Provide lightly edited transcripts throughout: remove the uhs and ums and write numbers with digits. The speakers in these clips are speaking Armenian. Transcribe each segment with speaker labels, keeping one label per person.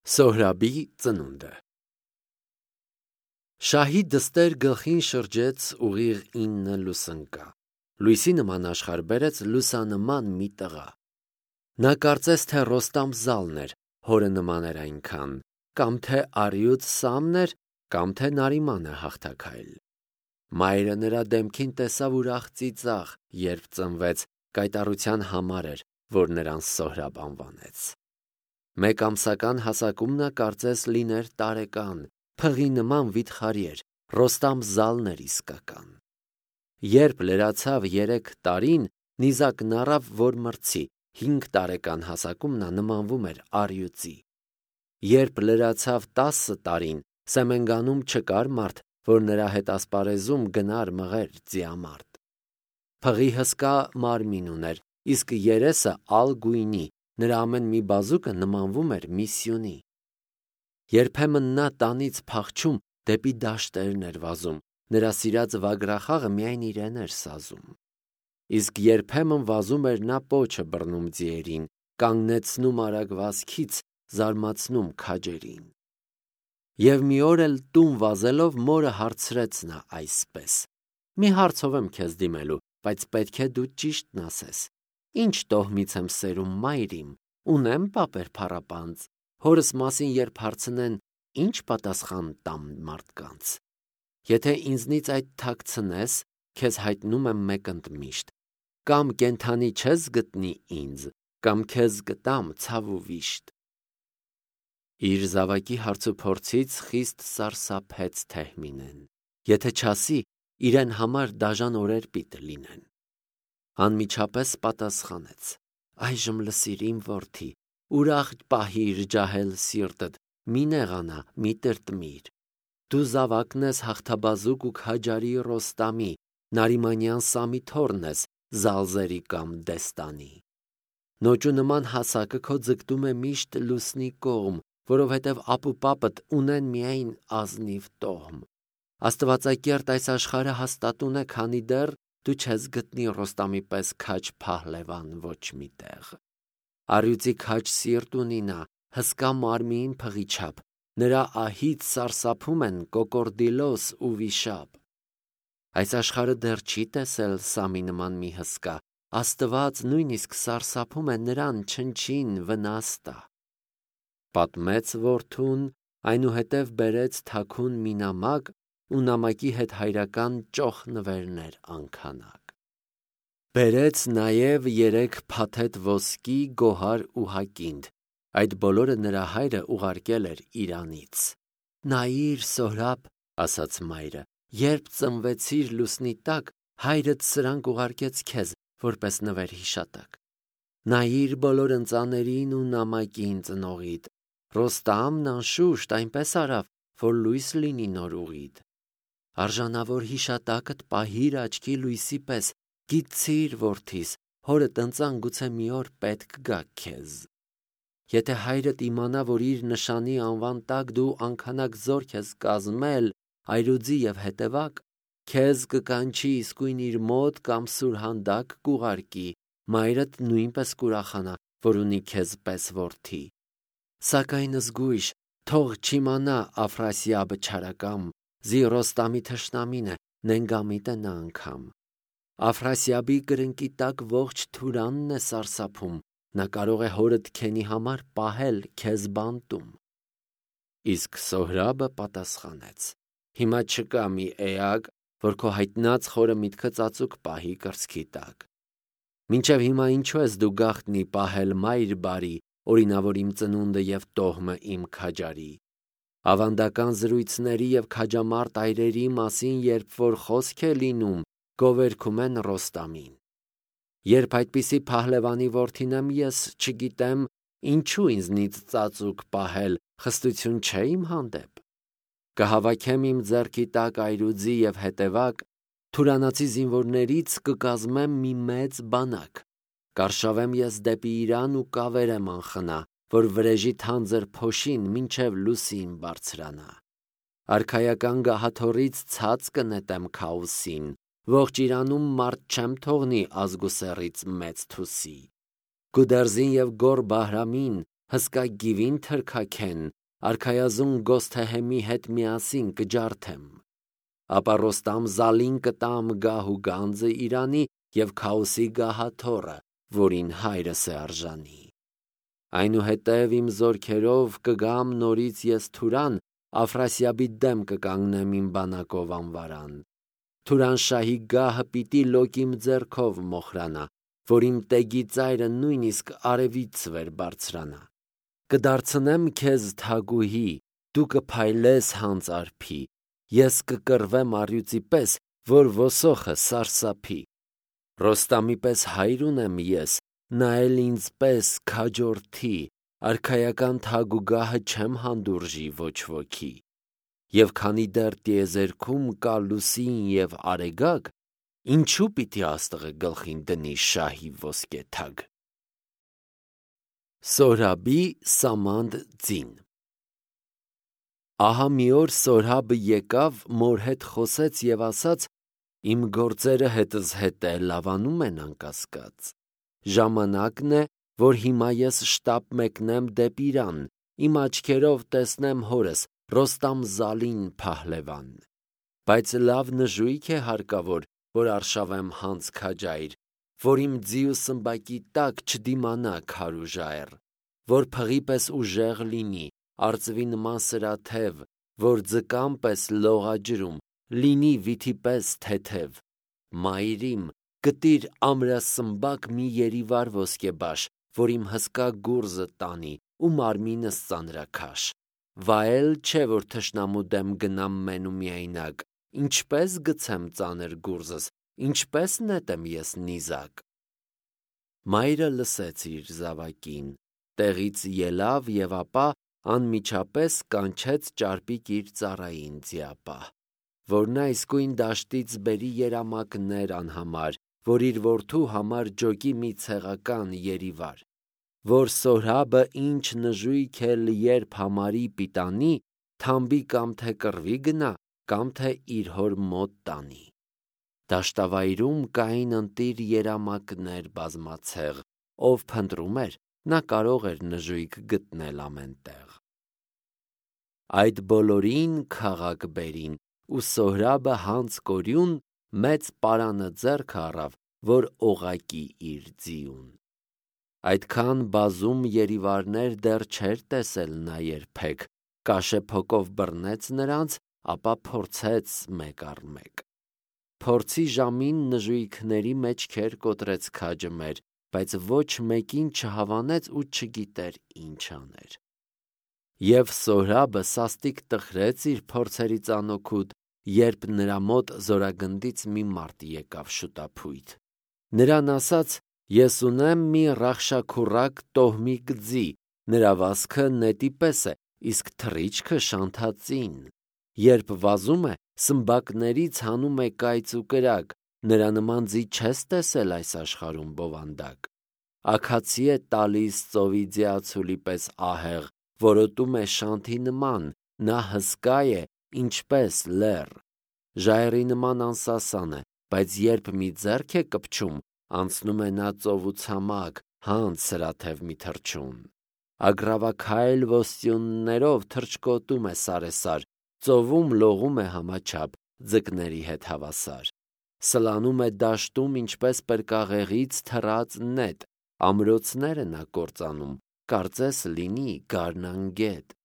Speaker 1: Սոհրաբի ծնունդը Շահի դստեր գլխին շրջեց ուղիղ 9 լուսնկա, լույսի նման աշխարհ բերեց լուսանման մի տղա։ Նա կարծես թե Ռոստամ Զալն էր, հորը նման էր այնքան, կամ թե առյուծ Սամն էր, կամ թե Նարիմանը հաղթաքայլ։ Մայրը նրա դեմքին տեսավ ուրախ ծիծաղ, երբ ծնվեց, կայտառության համար էր, որ նրան Սոհրաբ անվանեց։ Մեկ ամսական հասակում նա կարծես լիներ տարեկան, փղի նման վիթխարի էր, Ռոստամ Զալն էր իսկական։ Երբ լրացավ 3 տարին, նիզակն առավ, որ մրցի, 5 տարեկան հասակում նա նմանվում էր առյուծի։ Երբ լրացավ 10 տարին, Սեմենգանում չկար մարդ, որ նրա հետ ասպարեզում գնար մղեր ձիամարտ։ Փղի հսկա մարմին ուներ, իսկ երեսը ալ գույնի, նրա ամեն մի բազուկը նմանվում էր մի սյունի։ Երբեմն նա տանից փախչում դեպի դաշտերն էր վազում, նրա սիրած վագրախաղը միայն իրեն էր սազում։ Իսկ երբեմն վազում էր նա պոչը բռնում ձիերին, կանգնեցնում արագ վազքից, զարմացնում քաջերին։ Եվ մի օր էլ տուն վազելով մորը հարցրեց նա այսպես. «Մի հարցով եմ քեզ դիմելու, բայց պետք է դու ճիշտն ասես. Ինչ տոհմից եմ սերում մայր իմ, ունեմ պապեր փառապանծ, հորս մասին երբ հարցնեն, ինչ պատասխան տամ մարդկանց։ Եթե ինձնից այդ թաքցնես, քեզ հայտնում եմ մեկ ընդմիշտ. կամ կենդանի չես գտնի ինձ, կամ քեզ կտամ ցավ ու վիշտ»։ Իր զավակի հարցուփորձից խիստ սարսափեց Թեհմինեն, եթե չասի, իրեն համար դաժան օրեր պիտի լինեն։ Անմիջապես պատասխանեց. «Այժմ լսիր իմ որդի, ուրախ պահիր ջահել սիրտդ, մի նեղանա, մի տրտմիր։ Դու զավակն ես հաղթաբազուկ ու քաջարի Ռոստամի, Նարիմանյան Սամի թոռն ես, Զալզերի կամ Դեստանի։ Նոճու նման հասակը քո ձգտում է միշտ լուսնի կողմ, որովհետև ապուպապդ ունեն միայն ազնիվ տոհմ։ Աստվածակերտ այս աշխարհը հաստատուն է, քանի դեռ դու չես գտնի Ռոստամի պես քաջ փահլևան ոչ մի տեղ։ Առյուծի քաջ սիրտ ունի նա, հսկա մարմին փղի չափ, նրա ահից սարսափում են կոկորդիլոս ու վիշապ։ Այս աշխարհը դեռ չի տեսել Սամի նման մի հսկա, Աստված նույնիսկ սարսափում է նրան չնչին վնաս տա։ Պատմեց որդուն, այնուհետև բերեց թաքուն մի նամակ ու նամակի հետ հայրական ճոխ նվերներ անքանակ։ Բերեց նաև 3 փաթեթ ոսկի, գոհար ու հակինդ, այդ բոլորը նրա հայրը ուղարկել էր Իրանից։ Նայիր, Սոհրաբ, ասաց մայրը, երբ ծնվեցիր լուսնի տակ, հայրդ սրանք ուղարկեց քեզ, որպես նվեր հիշատակ։ Նայիր բոլոր ընծաներին ու նամակին ծնողիդ, Ռոստամն անշուշտ այնպես արավ, որ լույս լինի նոր ուղիդ։ Արժանավոր հիշատակդ պահիր աչքի լույսի պես, գիտցիր որդիս, հորդ ընծան գուցե մի օր պետք գա քեզ։ Եթե հայրդ իմանա, որ իր նշանի անվան տակ դու անքանակ զորք ես կազմել, այրուձի և հետևակ, քեզ կկանչի իսկույն իր մոտ կամ սուրհանդակ կուղարկի, մայրդ նույնպես կուրախանա, որ ունի քեզ պես որդի։ Սակայն զգույշ, թող չիմանա Աֆրասիաբը չարակամ, զի Ռոստամի թշնամին է, նենգամիտ է նա անգամ։ Աֆրասիաբի կրնկի տակ ողջ Թուրանն է սարսափում, նա կարող է հորդ քենի համար պահել քեզ բանտում։ Իսկ Սոհրաբը պատասխանեց. Հիմա չկա մի էակ, որ քո հայտնած խորը միտքը ծածուկ պահի կրծքի տակ։ Մինչև հիմա ինչու ես դու գաղտնի պահել մայր բարի, օրինավոր իմ ծնունդը և տոհմը իմ քաջարի։ Ավանդական զրույցների և քաջամարտ այրերի մասին երբ որ խոսք է լինում, գովերգում են Ռոստամին։ Երբ այդպիսի փահլևանի որդին եմ ես, չգիտեմ, ինչու ինձնից ծածուկ պահել, խստություն չէ իմ հանդեպ։ Կհավաքեմ իմ ձեռքի տակ այրուձի և հետևակ, թուրանացի զինվորներից կկազմեմ մի մեծ բանակ, կարշավեմ ես դեպի Իրան ու կավերեմ անխնա, որ վրեժի թանձր փոշին մինչև լուսին բարձրանա։ Արքայական գահաթոռից ցած կնետեմ Քաոսին, ողջ Իրանում մարդ չեմ թողնի ազգուսերից մեծ թուսի։ Գուդերզին և Գոր Բահրամին, հսկա գիվին թրքաքեն, արքայազուն Գոսթեհեմի հետ միասին կջարդեմ։ Ապա Ռոստամ Զալին կտամ գահ ու գանձը իրանի և Քաոսի գահաթոռը, որին հայրս է արժանի։ Այնուհետև իմ զորքերով կգամ նորից ես Թուրան, Աֆրասիաբի դեմ կկանգնեմ իմ բանակով անվարան։ Թուրանշահի գահը պիտի լոկ իմ ձեռքով մոխրանա, որ իմ տեգի ծայրը նույնիսկ արևից վեր բարձրանա։ Կդարձնեմ քեզ թագուհի, դու կփայլես հանց արփի, ես կկռվեմ առյուծի պես, որ ոսոխը սարսափի։ Ռոստամի պես հայր ունեմ ես, նա էլ ինձ պես քաջորդի, արքայական թագ ու գահը չեմ հանդուրժի ոչ ոքի։ Եվ քանի դեռ տիեզերքում կա լուսին և արեգակ, ինչու պիտի աստղը գլխին դնի շահի ոսկե թագ։ Սորաբի Սամանդ ձին։ Ահա մի օր Սորհաբը եկավ, մոր հետ խոսեց և ասաց. իմ գործերը հետս հետ լավանում են անկասկած։ Ժամանակն է, որ հիմա ես շտապ մեկնեմ դեպի Իրան, իմ աչքերով տեսնեմ հորս Ռոստամ Զալին փահլևան։ Բայց լավ նժույգ է հարկավոր, որ արշավեմ հանց քաջայր, որ իմ ձի ու սմբակի տակ չդիմանա քար ու ժայռ, որ փղի պես ուժեղ լինի, արծվի նման սրաթև, որ ձկան պես լողաջրում, լինի վիթի պես թեթև։ Մայրիմ, գտիր ամրասմբակ մի երիվար ոսկեբաշ, որ իմ հսկա գուրզը տանի ու մարմինս ծանրաքաշ։ Վայել չէ, որ թշնամու դեմ գնամ մեն ու միայնակ, ինչպես գցեմ ծանր գուրզս, ինչպես նետեմ ես նիզակ։ Մայրը լսեց իր զավակին, տեղից ելավ և ապա անմիջապես կանչեց ճարպիկ իր ծառային ձիապահ, որ նա իսկույն դաշտից բերի երամակներ անհամար, որ իր որդու համար ջոկի մի ցեղական երիվար, որ Սորհաբը ինչ նժույգ էլ երբ համարի պիտանի, թամբի կամ թե կռվի գնա, կամ թե իր հոր մոտ տանի։ Դաշտավայրում կային ընտիր երամակներ բազմացեղ, ով փնտրում էր, նա կարող էր նժույգ գտնել ամենտեղ։ Այդ բոլորին քաղաք բերին, ու Սորհաբը հանց կորյուն մեծ պարանը ձեռքը առավ, որ օղակի իր ձիուն։ Այդքան բազում երիվարներ դեռ չէր տեսել նա երբեք, կաշեփոկով բռնեց նրանց, ապա փորձեց մեկ առ մեկ։ Փորձի ժամին նժույգների մեջքեր կոտրեց քաջը մեր, բայց ոչ մեկին չհավանեց ու չգիտեր ինչ աներ։ Եվ Սորհաբը սաստիկ տխրեց իր փորձերի ծանոքուտ, երբ նրա մոտ զորագնդից մի մարդ եկավ շուտափույթ։ Նրան ասաց. ես ունեմ մի ռախշաքուռակ տոհմիկ ձի, նրա վազքը նետի պես է, իսկ թռիչքը շանթածին։ Երբ վազում է, սմբակներից հանում է կայծ ու կրակ, նրա նման ձի չես տեսել այս աշխարհում բովանդակ։ Աքացի է տալիս ծովի ձիացուլի պես ահեղ, որոտում է շանթի նման, նա հսկա է, ինչպես լեռ։ Ժայռի նման անսասան է, բայց երբ մի ձեռք է կպչում, անցնում է նա ծով ու ցամաք, հանց սրաթև մի թռչուն։ Ագռավաքայլ ոստյուններով թռչկոտում է սարեսար, ծովում լողում է համաչափ, ձկների հետ հավասար։ Սլանում է դաշտում ինչպես պրկաղեղից թռած նետ, ամրոցներ է նա կործանում, կարծես լինի գարնան գետ։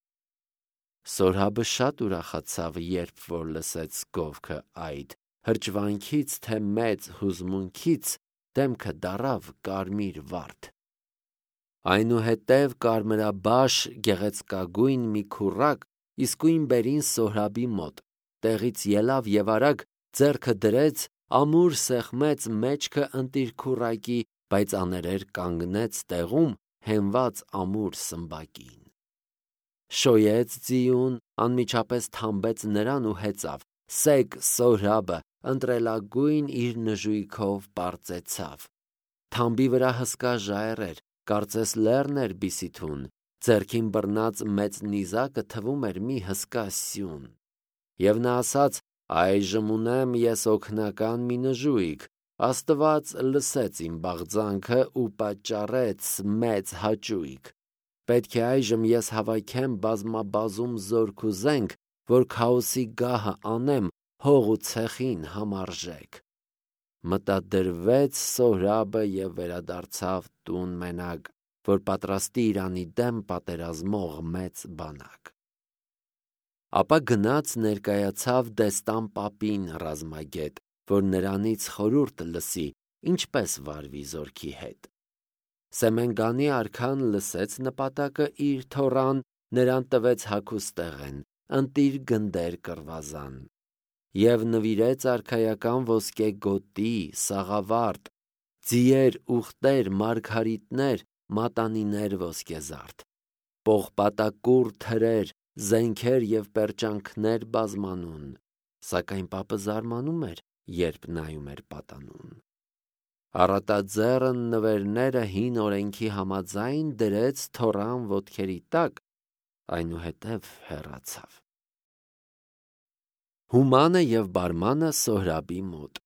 Speaker 1: Սորհաբը շատ ուրախացավ, երբ որ լսեց գովքը այդ, հրճվանքից թե մեծ հուզմունքից դեմքը դառավ կարմիր վարդ։ Այնուհետև կարմրաբաշ գեղեցկագույն մի քուռակ իսկույն բերին Սորհաբի մոտ, տեղից ելավ և արագ ձեռքը դրեց, ամուր սեղմեց մեջքը ընտիր քուռակի, բայց աներեր կանգնեց տեղում, հենված ամուր սմբակին։ Շոյեց ձիուն, անմիջապես թամբեց նրան ու հեծավ։ Սեկ Սորհաբը ընտրելագույն իր նժույգով պարծեցավ։ Թամբի վրա հսկա ժայռ էր, կարծես լեռն էր բիսիթուն, ձեռքին բռնած մեծ նիզակը թվում էր մի հսկա սյուն։ Եվ նա ասաց. այժմ ունեմ ես օգնական մի նժույգ, Աստված լսեց իմ բաղձանքը ու պատճառեց մեծ հաճույք։ Պետք է այժմ ես հավաքեմ բազմաբազում զորք ու զենք, որ քաոսի գահը անեմ հող ու ցեխին համարժեք։ Մտադրվեց Սոհրաբը և վերադարձավ տուն մենակ, որ պատրաստի Իրանի դեմ պատերազմող մեծ բանակ։ Ապա գնաց ներկայացավ Դեստան պապին ռազմագետ, որ նրանից խորհուրդ լսի, ինչպես վարվի զորքի հետ։ Սեմենգանի արքան լսեց նպատակը իր թոռան, նրան տվեց հագուստեղեն, ընտիր գնդեր կռվազան, և նվիրեց արքայական ոսկե գոտի, սաղավարտ, ձիեր, ուղտեր, մարգարիտներ, մատանիներ ոսկեզարդ, պողպատակուռ թրեր, զենքեր և պերճանքներ բազմանուն, սակայն պապը զարմանում էր, երբ նայում էր պատանուն։ Առատաձեռն նվերները հին օրենքի համաձայն դրեց թոռան ոտքերի տակ, այնուհետև հեռացավ։ Հումանը և բարմանը Սոհրաբի մոտ։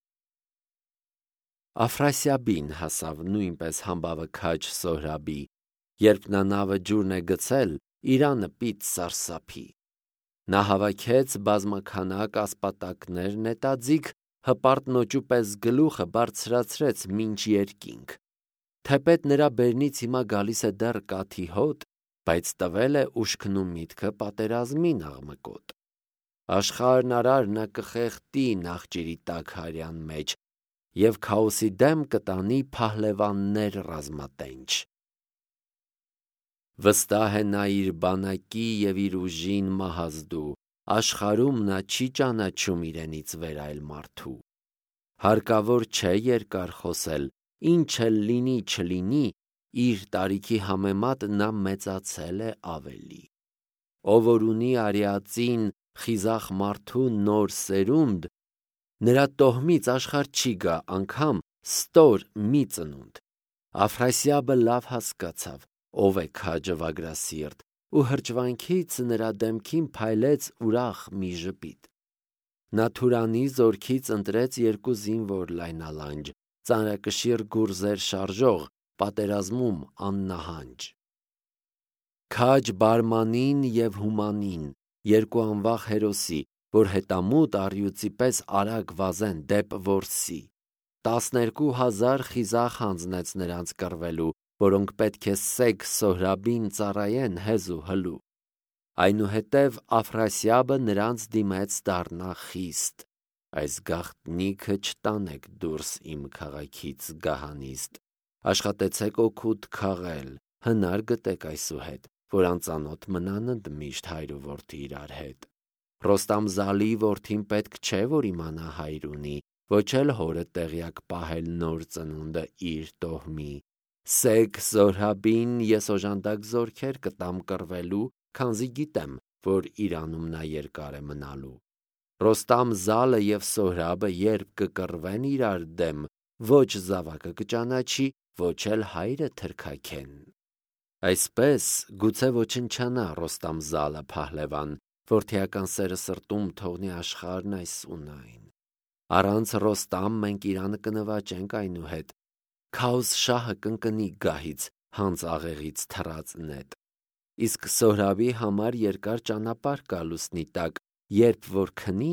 Speaker 1: Աֆրասիաբին հասավ նույնպես համբավը քաջ Սոհրաբի, երբ նա նավը ջուրն է գցել, Իրանը պիտ սարսափի։ Նա հավաքեց բազմաքանակ ասպատակներ նետաձիգ, հպարտ նոճու պես գլուխը բարձրացրեց մինչ երկինք։ Թեպետ նրա բերնից հիմա գալիս է դեռ կաթի հոտ, բայց տվել է ուշքն ու միտքը պատերազմին աղմկոտ։ Աշխարհն արար նա կխեղդի նախճիրի տաք հարյան մեջ և քաոսի դեմ կտանի փահլևաններ ռազմատենչ։ Վստահ է նա իր բանակի և իր ուժին մահազդու, աշխարհում նա չի ճանաչում իրենից վեր այլ մարդու։ Հարկավոր չէ երկար խոսել, ինչ էլ լինի չլինի, իր տարիքի համեմատ նա մեծացել է ավելի։ Ով որ ունի արիածին խիզախ մարդու նոր սերունդ, նրա տոհմից աշխարհ չի գա անգամ ստոր մի ծնունդ։ Աֆրասիաբը լավ հասկացավ, ով է քաջը վագրասիրտ, ու հրճվանքից նրա դեմքին փայլեց ուրախ մի ժպիտ։ Նա Թուրանի զորքից ընտրեց 2 զինվոր լայնալանջ, ծանրակշիռ գուրզեր շարժող, պատերազմում աննահանջ։ Քաջ Բարմանին և Հումանին, 2 անվախ հերոսի, որ հետամուտ առյուծի պես արագ վազեն դեպ որսի։ 12,000 խիզախ հանձնեց նրանց կռվելու, որոնք պետք է սեգ Սոհրաբին ծառայեն հեզ ու հլու։ Այնուհետև Աֆրասիաբը նրանց դիմեց դառնա խիստ. այս գաղտնիքը չտանեք դուրս իմ քաղաքից գահանիստ, աշխատեցեք օգուտ քաղել, հնար գտեք այսուհետ, որ անծանոթ մնան ընդմիշտ հայր ու որդի իրար հետ։ Ռոստամ-Զալի որդին պետք չէ, որ իմանա հայր ունի, ոչ էլ հորը տեղյակ պահել նոր ծնունդը իր տոհմի։ Սեգ Սոհրաբին ես օժանդակ զորքեր կտամ կռվելու, քանզի գիտեմ, որ Իրանում նա երկար է մնալու։ Ռոստամ-Զալը և Սոհրաբը երբ կկռվեն իրար դեմ, ոչ զավակը կճանաչի, ոչ էլ հայրը թրքաքեն։ Այսպես գուցե ոչնչանա Ռոստամ-Զալը փահլևան, որդիական սերը սրտում թողնի աշխարհն այս ու այն։ Առանց Ռոստամ մենք Իրանը կնվաճենք այնուհետ, Քաոս շահը կընկնի գահից, հանց աղեղից թռած նետ։ Իսկ Սոհրաբի համար երկար ճանապարհ կա լուսնի տակ, երբ որ քնի,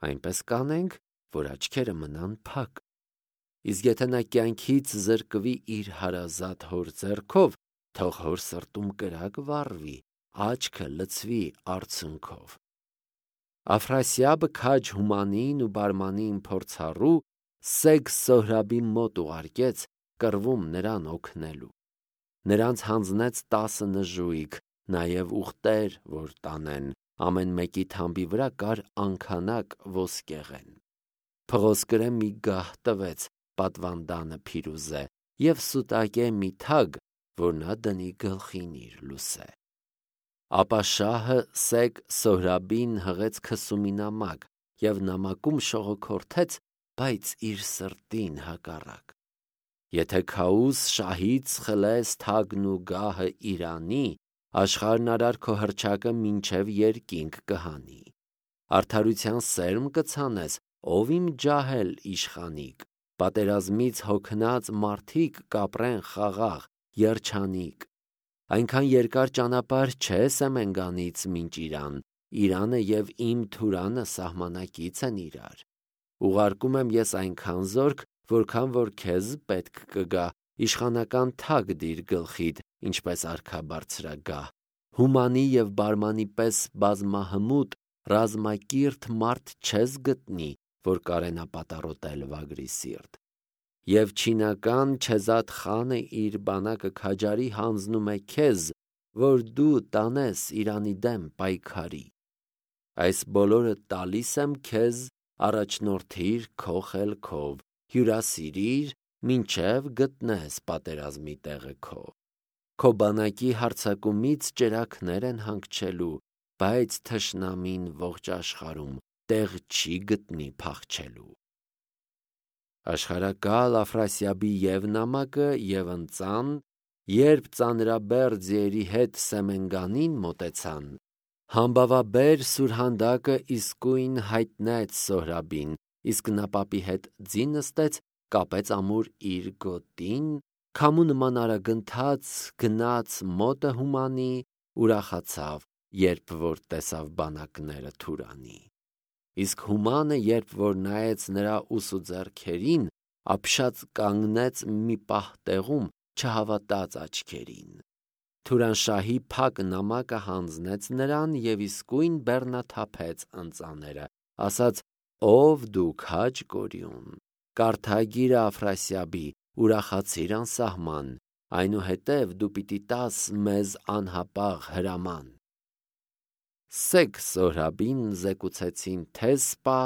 Speaker 1: այնպես կանենք, որ աչքերը մնան փակ։ Իսկ եթե նա կյանքից զրկվի իր հարազատ հոր ձեռքով, թող հոր սրտում կրակ վառվի, աչքը լցվի արցունքով։ Աֆրասիաբը քաջ Հումանին ու Բարմանին փորձառու, սեգ Սոհրաբի մոտ ուղարկեց, կռվում նրան օգնելու։ Նրանց հանձնեց 10 նժույգ, նաև ուղտեր, որ տանեն, ամեն մեկի թամբի վրա կար անգանակ ոսկեղեն։ Փղոսկրե մի գահ տվեց պատվանդանը փիրուզե և սուտակե մի թագ, որ նա դնի գլխին իր լուսե։ Ապա շահը սեգ Սոհրաբին հղեց քսումի նամակ և նամակում շողոքորթեց, բայց իր սրտին հակառակ. Եթե քաուս շահից խլես թագն ու գահը Իրանի, աշխարհն արար քո հռչակը մինչև երկինք կհանի։ Արդարության սերմ կցանես, ով իմ ջահել իշխանիկ, պատերազմից հոգնած մարդիկ կապրեն խաղաղ, երջանիկ։ Այնքան երկար ճանապարհ չէ Սեմենգանից մինչ Իրան, Իրանը և իմ Թուրանը սահմանակից են իրար։ Ուղարկում եմ ես այնքան զորք, որքան որ քեզ պետք կգա, իշխանական թագ դիր գլխիդ, ինչպես արքա բարձրագահ, հումանի և բարմանի պես բազմահմուտ, ռազմակիրթ մարդ չես գտնի, որ կարենա պատառոտել վագրի սիրտ։ Եվ չինական Չեզադ խանը իր բանակը քաջարի հանձնում է քեզ, որ դու տանես Իրանի դեմ պայքարի։ Այս բոլորը տալիս եմ քեզ, առաջնորդիր քո խելքով, հյուրասիրիր, մինչև գտնես պատերազմի տեղը քո։ Քո բանակի հարձակումից ճրագներ են հանգչելու, բայց թշնամին ողջ աշխարհում տեղ չի գտնի փախչելու։ Աշխարհակալ Աֆրասիաբի և նամակը և ընծան, երբ ծանրաբեռ ձիերի հետ Սեմենգանին մոտեցան, համբավաբեր Սուրհանդակը իսկույն հայտնեց Սոհրաբին, իսկ նա պապի հետ ձի նստեց, կապեց ամուր իր գոտին, քամու նման արագընթաց գնաց մոտը հումանի, ուրախացավ, երբ որ տեսավ բանակները Թուրանի։ Իսկ հումանը, երբ որ նայեց նրա ուս ու ձեռքերին, ապշած կանգնեց մի պահ տեղում, չհավատաց աչքերին։ Թուրանշահի փակ նամակը հանձնեց նրան և իսկույն բեռնաթափեց ընծաները, ասաց. «Ով դու քաջ կորյուն, կարդագիրը Աֆրասիաբի, ուրախացիր անսահման, այնուհետև դու պիտի տաս մեզ անհապաղ հրաման»։ Սեկ Սոհրաբին զեկուցեցին թե սպա,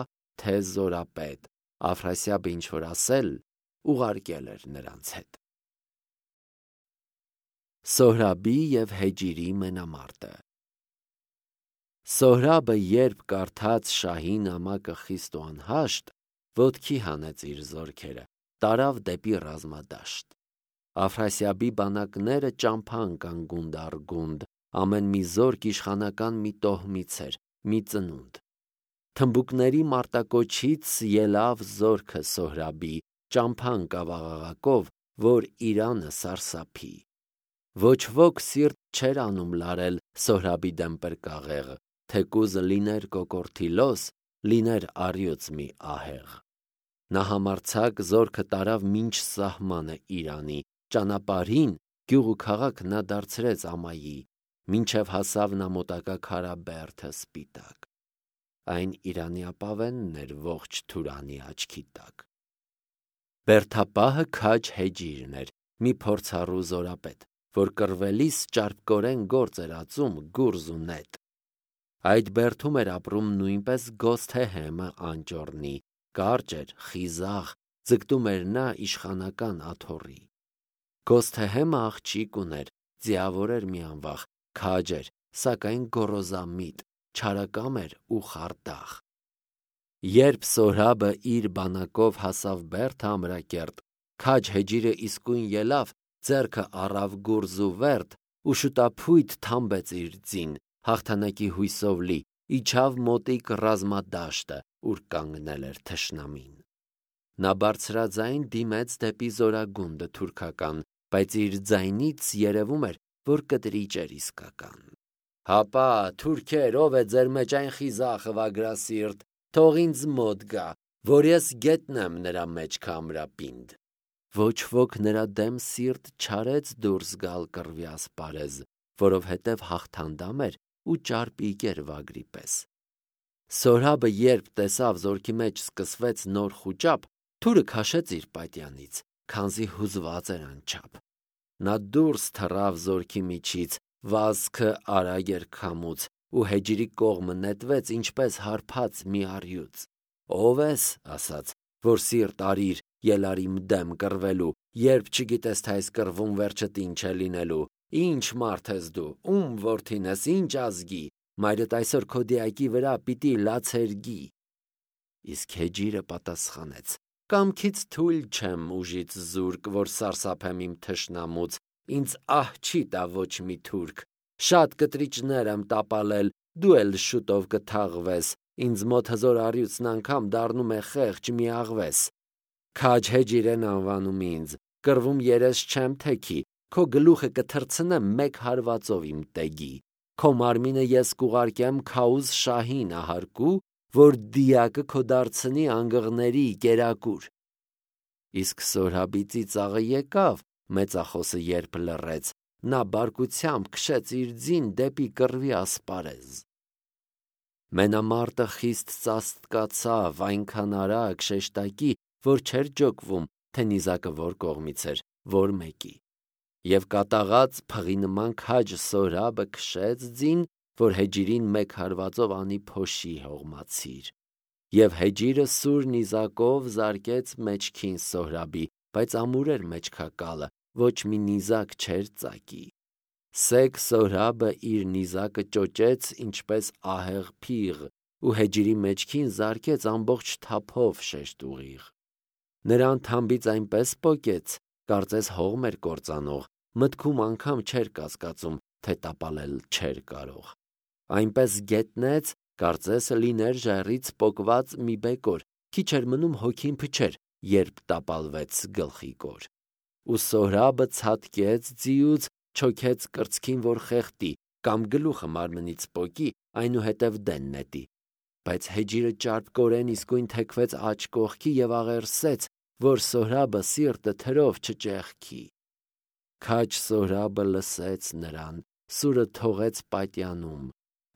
Speaker 1: թե զորապետ, Աֆրասիաբը ինչ-որ ասել, ուղարկել էր նրանց հետ։ Սոհրաբի և Հեջիրի մենամարտը։ Սոհրաբը, երբ կարդաց շահի նամակը խիստ ու անհաշտ, ոտքի հանեց իր զորքերը, տարավ դեպի ռազմադաշտ։ Աֆրասիաբի բանակները ճամփա ընկան գունդ առ գունդ, ամեն մի զորք իշխանական մի տոհմից էր, մի ծնունդ։ Թմբուկների մարտակոչից ելավ զորքը Սոհրաբի, ճամփա ընկավ աղաղակով, որ Իրանը սարսափի։ Ոչ ոք սիրտ չէր անում լարել Սոհրաբի դեմ պրկաղեղ, թեկուզ լիներ կոկորդիլոս, լիներ առյուծ մի ահեղ։ Նա համարձակ զորքը տարավ մինչ սահմանը Իրանի, ճանապարհին գյուղ ու քաղաք նա դարձրեց ամայի, մինչև հասավ նա մոտակա քարաբերդը սպիտակ։ Այն Իրանի ապավենն էր ողջ Թուրանի աչքի տակ։ Բերդապահը քաջ Հեջիրն էր, մի փորձառու զորապետ, որ կռվելիս ճարպկորեն գործ էր ածում գուրզ ու նետ։ Այդ բերդում էր ապրում նույնպես Գոսթեհեմը անճոռնի, կարճ էր, խիզախ, ձգտում էր նա իշխանական աթոռի։ Գոսթեհեմը աղջիկ ուներ, ձիավոր էր մի անվախ, քաջ էր, սակայն գոռոզամիտ, չարակամ էր ու խարդախ։ Երբ Սոհրաբը իր բանակով հասավ Բերդ ամրակերտ, քաջ Հեջիրը իսկույն ելավ, ձեռքը առավ գուրզ ու վերդ ու շուտափույթ թամբեց իր ձին, հաղթանակի հույսով լի, իջավ մոտիկ ռազմադաշտը, ուր կանգնել էր թշնամին։ Նա բարձրաձայն դիմեց դեպի զորագունդը թուրքական, բայց իր ձայնից երևում էր, որ կտրիճ էր իսկական։ «Հապա, թուրքեր, ով է ձեր մեջ այն խիզախը վագրասիրտ, թող ինձ մոտ գա, որ ես գետնեմ նրա մեջքը ամրապինդ»։ Ոչ ոք նրա դեմ սիրտ չարեց դուրս գալ կռվի ասպարեզ, որովհետև հաղթանդամ էր ու ճարպիկ էր վագրի պես։ Սոհրաբը երբ տեսավ զորքի մեջ սկսվեց նոր խուճապ, թուրը քաշեց իր պատյանից, քանզի հուզված էր անչափ։ Նա դուրս թռավ զորքի միջից, վազքը արագ էր քամուց, ու Հեջիրի կողմը նետվեց ինչպես հարբած մի առյուծ։ «Ո՞վ ես», ասաց, «որ սիրտ արիր ելար իմ դեմ կռվելու, երբ չգիտես թե այս կռվում վերջդ ինչ է լինելու։ Ի՞նչ մարդ ես դու, ում որդին ես, ինչ ազգի, մայրդ այսօր քո դիակի վրա պիտի լացերգի»։ Իսկ Հեջիրը պատասխանեց. «Կամքից թույլ չեմ ուժից զուրկ, որ սարսափեմ իմ թշնամուց, ինձ ահ չի տա ոչ մի թուրք, շատ կտրիճներ եմ տապալել, դու էլ շուտով կթաղվես, ինձ մոտ հզոր առյուծն անգամ դառնում է խեղճ մի աղվես։ Քաջ Հեջիր են անվանում ինձ, կռվում երես չեմ թեքի, քո գլուխը կթռցնեմ մեկ հարվածով իմ տեգի, քո մարմինը ես կուղարկեմ Քաուզ շահին ահարկու, որ դիակը քո դարձնի անգղների կերակուր։ Իսկ Սորհաբի ծիծաղը եկավ, մեծախոսը երբ լռեց, նա բարկությամբ քշեց իր ձին դեպի կռվի ասպարեզ։ Մենամարտը խիստ ծածկացավ, այնքան արագ շեշտակի, որ չէր ջոկվում, թե նիզակը որ կողմից էր, որ մեկի։ Եվ կատաղած փղի նման քաջ Սորհաբը քշեց ձին, որ Հեջիրին մեկ հարվածով անի փոշի հողմացիր։ Եվ Հեջիրը սուր նիզակով զարկեց մեջքին Սորհաբի, բայց ամուր էր մեջքակալը, ոչ մի նիզակ չէր ծակի։ Սեկ Սորհաբը իր նիզակը ճոճեց ինչպես ահեղ փիղ, ու Հեջիրի մեջքին զարկեց ամբողջ թափով շեշտ ուղիղ։ Նրան թամբից այնպես պոկեց, կարծես հողմ էր կործանող, մտքում անգամ չէր կասկածում, թե տապալել չէր կարող։ Այնպես գետնեց, կարծես լիներ ժայռից պոկված մի բեկոր, քիչ էր մնում հոգին փչեր, երբ տապալվեց գլխի կոր։ Ու Սորհաբը ցատկեց ձիուց, չոքեց կրծքին, որ խեղդի, կամ գլուխը մարմնից պոկի, այնուհետև դեն նետի։ Բայց Հեջիրը ճարպկորեն իսկույն թեքվեց աջ կողքի և աղերսեց, որ Սորհաբը սիրտը թրով չճեղքի։ Քաջ Սորհաբը լսեց նրան, սուրը թողեց պատյանում,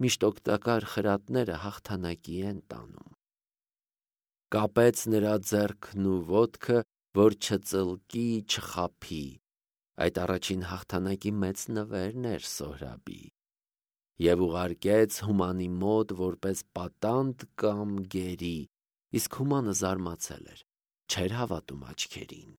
Speaker 1: միշտ օգտակար խրատները հաղթանակի են տանում։ Կապեց նրա ձեռքն ու ոտքը, որ չծլկի, չխաբի։ Այդ առաջին հաղթանակի մեծ նվերն էր Սորհաբի։ Եվ ուղարկեց Հումանի մոտ որպես պատանդ կամ գերի, իսկ Հումանը զարմացել էր, չէր հավատում աչքերին։